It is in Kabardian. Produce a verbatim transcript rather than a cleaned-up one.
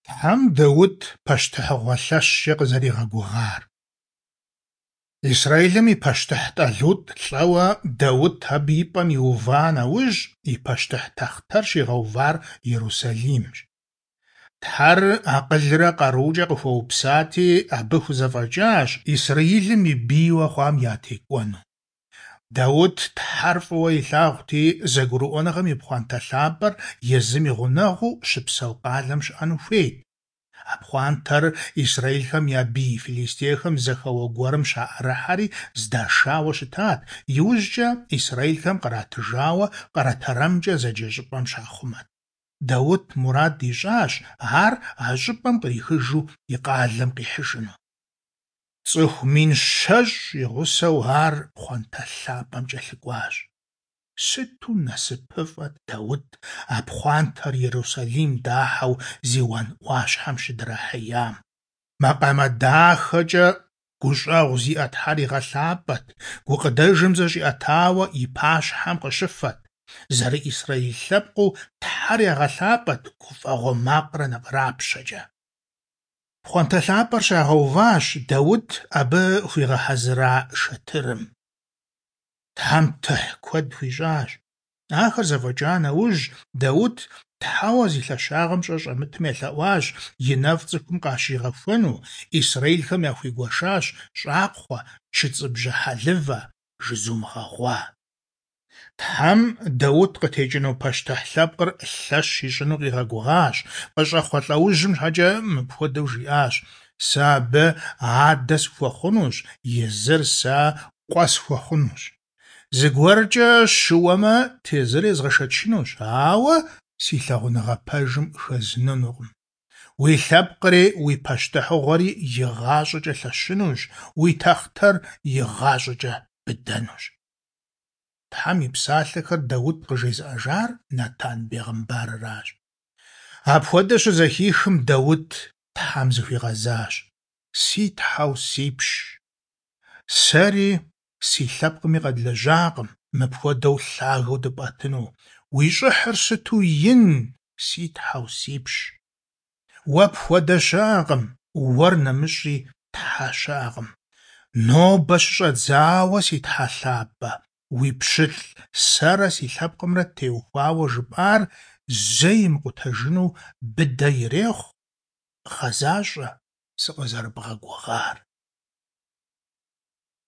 Тхьэм Даут пащтыхьыгъуэ лъэщкӀэ къызэригъэгугъар. Израилым и пащтыхь ТӀалутӀ лӀэуэ Даут абы и пӀэм иува нэужь, и пащтыхь тахътэр щигъэувар Ерусалимщ. Тхьэр акъылрэ къарукӀэ къыхуэупсати, абы хузэфӀэкӀащ Израилым и бийуэ хъуам ятекӀуэну. Даут Тхьэр фӀыуэ илъагъути, зэгурыӀуэныгъэм и пхъуантэ лъапӀэр езым и гъунэгъуу щыпсэу къалэм щыӀэну хуейт. А пхъуантэр израилхэм я бий филистейхэм зэхэуэ гуэрым щаӀэрыхьэри здашауэ щытат, иужькӀэ израилхэм къратыжауэ КъэрэтэрэмкӀэ зэджэ щӀыпӀэм щахъумэт. Даут мурад ищӀащ ар а щӀыпӀэм кърихыжу и къалэм къихьыжыну. ЦӀыху мин щэщӀ и гъусэу ар пхъуантэ лъапӀэм кӀэлъыкӀуащ. Сыту насыпыфӀэт Даут а пхъуантэр Ерусалим дахьэу Зиуан Ӏуащхьэм щыдрахьеям. Макъамэ дахэкӀэ гущӀэгъу зиӀэ Тхьэр игъэлъапӀэт, гукъыдэжым зэщӀиӀэтауэ и пащхьэм къыщыфэт. ЗэрыИсраил лъэпкъыу Тхьэр ягъэлъапӀэт гуфӀэгъуэ макърэ накъырапщэкӀэ. Пхъуантэ лъапӀэр щагъэуващ Даут абы хуигъэхьэзыра шэтырым. Тхьэм тыхь куэд хуищӀащ. Ахэр зэфӀэкӀа нэужь, Даут Тхьэуэ зи лъэщагъым щӀэ щӀэмытым елъэӀуащ и нэфӀ цӀыхум къащигъэхуэну, израилхэм яхуигуэшащ щӀакхъуэ, чыцӀыбжьэ хьэлывэ, жызум гъэгъуа. Тхьэм Даут къытекӀыну пащтыхь лъэпкъыр лъэщ ищӀыну къигъэгугъащ, къыщӀэхъуэ лӀэужьым щхьэкӀэ мыпхуэдэу жиӀащ: «Сэ абы адэ сыхуэхъунущ, езыр сэ къуэ схуэхъунущ. ЗыгуэркӀэ щыуэмэ, тезыр езгъэшэчынущ, ауэ си лъагъуныгъэ пэжым хэзнынукъым. Уи лъэпкъри уи пащтыхьыгъуэри игъащӀэкӀэ лъэщынущ, уи тахътэр игъащӀэкӀэ быдэнущ». Тхьэм и псалъэхэр Даут къыжезыӀэжар Натан бегъымбарыращ. Апхуэдэ щызэхихым, Даут Тхьэм зыхуигъэзащ: «Си Тхьэу сипщ, сэри си лъэпкъми къэдлэжьакъым мыпхуэдэу лъагэу дыпӀэтыну. Уи щӀыхьыр сыту ин, си Тхьэу сипщ! Уэ пхуэдэ щыӀэкъым, уэр нэмыщӀи тхьэ щыӀэкъым. Нобэ щыщӀэдзауэ, си Тхьэ лъапӀэ, уи пщылӀ сэрэ си лъэпкъымрэ теухуауэ жыпӀар зэи мыкъутэжыну быдэ ирехъу, гъэзащӀэ сыкъызэрыбгъэгугъар».